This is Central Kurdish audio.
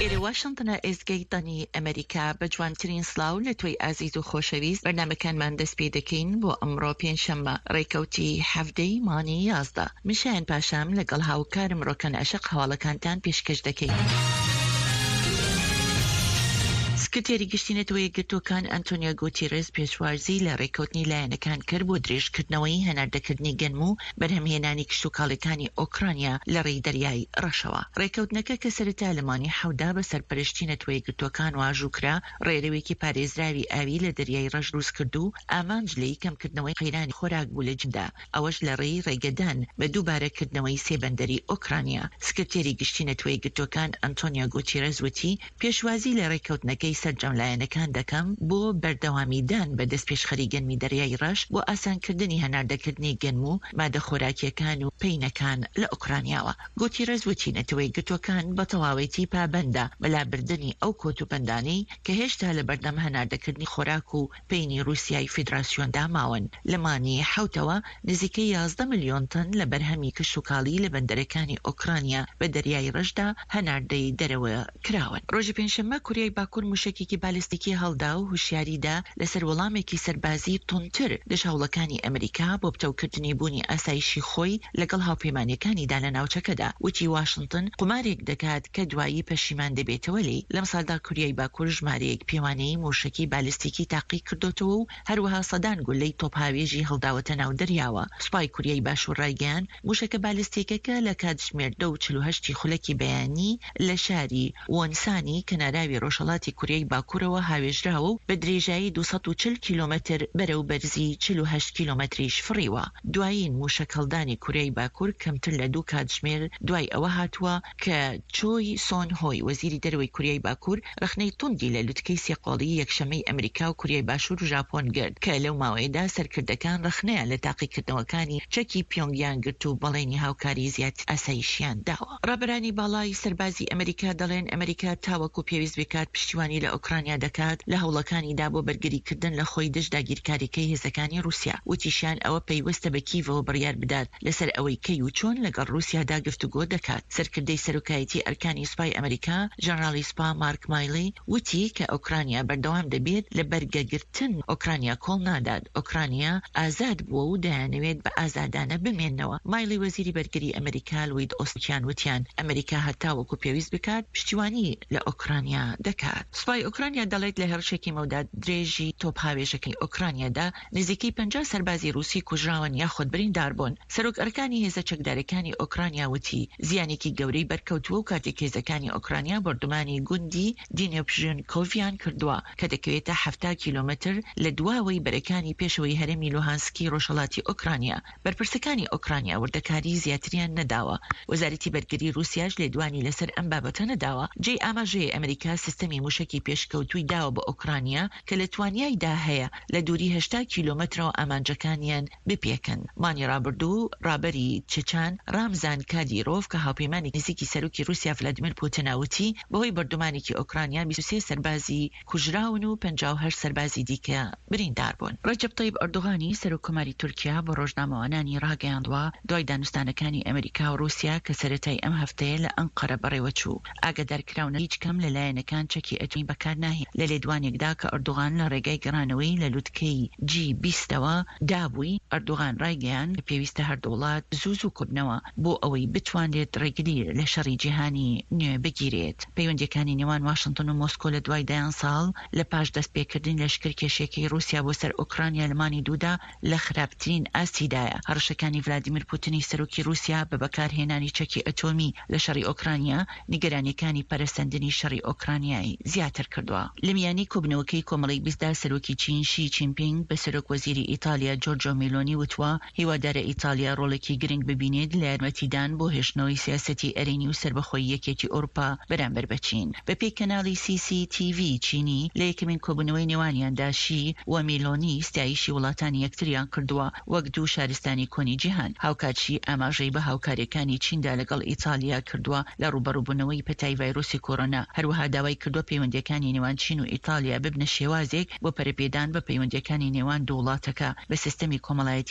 لێرە واشنتنە ئێزگەی دەنگی ئەمەریکا بە جوانترین سڵاو لە تۆی ئازیز و خۆشەویست بەرنامەکانمان دەست پێ دەکەین بۆ ئەمڕۆ پێنجشەممە ڕێکەوتی حەڤدەی مانگی 11 من شایەن پاشام لەگەڵ هاوکارم ڕۆکەن عەشق هەواڵەکانتان پێشکەش دەکەین. سکرتێری گشتی نەتەوە یەکگرتووەکان ئەنتۆنیۆ گوتیرێس پێشوازی لە ڕێککەوتنی لایەنەکان کرد بۆ درێژکردنەوەی هەناردەکردنی گەنم و بەرهەمهێنانی کشتوکاڵیەکانی ئۆکرانیا لە ڕێی دەریای ڕەشەوە. ڕێککەوتنەکە کە سەرەتا لە مانگی حەوتدا بە سەرپەرشتی نەتەوە یەکگرتووەکان واژوو کرا، ڕێرەوێکی پارێزراوی ئاوی لە دەریای ڕەش دروست کرد و ئامانج لێی کەمکردنەوەی قەیرانی خۆراک بوو لە جیهاندا، ئەوەش لە ڕێی ڕێگەدان بە دووبارە کردنەوەی سێ بەندەری ئۆکرانیا. سکرتێری گشتی نەتەوە یەکگرتووەکان ئەنتۆنیۆ گوتیرێس وتی، پێشوازی لە ڕێککەوتنەکەی سەرجەم لایەنەکان دەکەم بۆ بەردەوامیدان بە دەستپێشخەری گەنمی دەریای ڕەش بۆ ئاسانکردنی هەناردەکردنی گەنم و مادە خۆراکییەکان و پەینەکان لە ئۆکرانیاوە. گوتیرێس وتی نەتەوەیەکگرتووەکان بە تەواوەتی پابەندە بە لابردنی ئەو کۆتوبەندانەی کە هێشتا لەبەردەم هەناردەکردنی خۆراک و پەینی ڕووسیای فیدراسیۆندا ماون. لە مانگی حەوتەوە نزیکەی 11 ملیۆن تەن لە بەرهەمی کشتوکاڵی لە بەندەرەکانی ئۆکرانیا بە دەریای ڕەشدا هەناردەی دەرەوە کراون. ڕۆژی پێنجشەممە کوریای باکوور مووشەکێکی بالستیکی هەڵدا و هوشیاری دا لەسەر وەڵامێکی سەربازی توندتر دژ هەوڵەکانی ئەمریکا بۆ پتەوکردنی بوونی ئاسایشی خۆی لەگەڵ هاوپەیمانیەکانیدا لە ناوچەکەدا. وتی واشنتن قومارێک دەکات کە دوایی پەشیمان دەبێتەوە لێی. لەمساڵدا کوریای باکوور ژمارەیەک پێوانەیی مووشەکی بالستیکی تاقی کردۆتەوە و هەروەها سەدان گوللەی تۆپهاوێژی هەڵداوەتە ناو دەریاوە. سوپای کوریای باشوور ڕایگەیاند، مووشەکە بالستیکەکە لە کاتژمێر دە و 48 ی خولەکی بەیانی لە شاری وۆنسانی کەناراوی ڕۆژهەڵاتی کوریای باکوورەوە هاوێژراوە و بە درێژایی 240 کیلۆمەتر بەرەو بەرزی 48 کیلۆمەتریش فڕیوە. دوایین مووشەکهەڵدانی کوریای باکوور کەمتر لە دوو کاتژمێر دوای ئەوە هاتووە کە چۆی سۆن هۆی وەزیری دەرەوەی کوریای باکوور ڕەخنەی توندی لە لوتکەی سێقۆڵیی یەکشەممەی ئەمریکا و کوریای باشوور و ژاپۆن گرت کە لەو ماوەیەدا سەرکردەکان ڕەخنەیان لە تاقیکردنەوەکانی چەکی پیۆنگ یانگ گرت و بەڵێنی هاوکاری زیاتری ئاسایشیان داوە. ڕابەرانی باڵای سەربازی ئەمریکا دەڵێن ئەمریکا تاوەکو پێویست بکات پشتیوانی لە ئۆکرانیا دەکات لە هەوڵەکانیدا بۆ بەرگریکردن لە خۆی دژ داگیرکاریکەی هێزەکانی ڕووسیا. وتیشیان ئەوە پەیوەستە بە کیڤەوە بڕیار بدات لەسەر ئەوەی کەی و چۆن لەگەڵ ڕووسیادا گفتوگۆ دەکات. سەرکردەی سەرۆکایەتی ئەرکانی سوپای ئەمریکا، ژەنراڵی سوپا مارک مایلی وتی کە ئۆکرانیا بەردەوام دەبێت لە بەرگەگرتن، ئۆکرانیا کۆڵ نادات، ئۆکرانیا ئازاد بووە و دەیانەوێت بە ئازادانە بمێننەوە. مایلی وەزیری بەرگری ئەمریکا لوید ئۆستیان وتیان ئەمریکا هەتاوەکو پێویست بکات پشتیوانی لە ئۆکرانیا دەکات. سوپای ئۆکرانیا دەڵێت لە هێڕشێکی مەودا درێژی تۆپهاوێژەکەی ئۆکرانیادا نزیکەی 50 سەربازی ڕووسی کوژراون یاخود برینداربوون. سەرۆک ئەرکانی هێزە چەکدارەکانی ئۆکرانیا وتی، زیانێکی گەورەی بەرکەوتووە و کاتێک هێزەکانی ئۆکرانیا بۆردومانی گوندی دینێپژێنکۆڤیان کردووە کە دەکەوێتە 70 کیلۆمەتر لە دواوەی بەرەکانی پێشەوەی هەرێمی لوهانسکی ڕۆژهەڵاتی ئۆکرانیا. بەرپرسەکانی ئۆکرانیا وردەکاریی زیاتریان نەداوە. وەزارەتی بەرگری ڕووسیاش لێدوانی لەسەر ئەم بابەتە نەداوە. جێی ئاماژەیە ئەمریکا سیستەمی موشەکی پێشکەوتووی داوە بە ئۆکرانیا کە لە توانیایدا هەیە لە دووری 80 کیلۆمەترەوە ئامانجەکانیان بپێکن. مانگی ڕابردوو ڕابەری چچان ڕامزان کادیرۆڤ کە هاوپەیمانی نزیکی سەرۆکی ڕووسیا ڤلادیمیر پوتنە وتی بەهۆی بۆردومانێکی ئۆکرانیا 23 سەربازی کوژراون و 58 سەربازی دیکە بریندار بوون. ڕەجەب تەیب ئەردۆغانی سەرۆک کۆماری تورکیا بۆ ڕۆژنامەوانانی ڕاگەیاندوە دوای دانوستانەکانی ئەمریکا و ڕووسیا کە سەرەتای ئەم هەفتەیە لە ئەنقەرە بەڕێوەچوو ئاگادارکراونە هیچ کام لە لایەنەکان چەکی ئەتۆمی بەکار ناهێنن. لە لێدوانێکدا کە ئەردۆغان لە ڕێگای گەڕانەوەی لە لوتکەی جی بیستەوە دابووی، ئەردۆغان ڕایگەیاند کە پێویستە هەردوو وڵات زوو زوو کۆببنەوە بۆ ئەوەی بتوانرێت ڕێگری لە شەڕی جیهانی نوێ بگیرێت. پەیوەندییەکانی نێوان واشنتن و مۆسکۆ لە دوای دەیان ساڵ لە پاش دەستپێکردنی لەشکرکێشییەکەی ڕووسیا بۆ سەر ئۆکرانیا لە مانگی دوودا لە خراپترین ئاستیدایە. هەڕەشەکانی ڤلادیمیر پوتنی سەرۆکی ڕووسیا بە بەکارهێنانی چەکی ئەتۆمی لە شەڕی ئۆکرانیا، نیگەرانییەکانی پەرەسەندنی شەڕی ئۆکرانیای زیاتر کردووە. لە میانی کۆبوونەوەکەی کۆمەڵەی بیستدا سەرۆکی چین شی چینپینگ بە سەرۆک وەزیری ئیتالیا جۆرجۆ میلۆنی وتووە، هیوادارە ئیتالیا ڕۆڵێکی گرنگ ببینێت لە یارمەتیدان بۆ هێشتنەوەی سیاسەتی ئەرێنی و سەربەخۆی یەکێتی ئەوروپا بەرامبەر بە چین. بەپێی کەناڵی سی سی تی ڤی چینی، لە یەکەمین کۆبوونەوەی نێوانیاندا شی و میلۆنی ستایشی وڵاتانی یەکتریان کردووە وەک دوو شارستانی کۆنی جیهان. هاوکات شی ئاماژەی بە هاوکارییەکانی چیندا لەگەڵ ئیتالیا کردووە لە ڕووبەڕووبوونەوەی پەتای ڤایرۆسی کۆرۆنا، هەروەها داوای کردووە پەیوەندییەکانی نێوان چین و ئیتالیا ببنە شێوازێک بۆ پەرەپێدان بە پەیوەندییەکانی نێوان دوو وڵاتەکە بە سیستەمی کۆمەڵایەتی.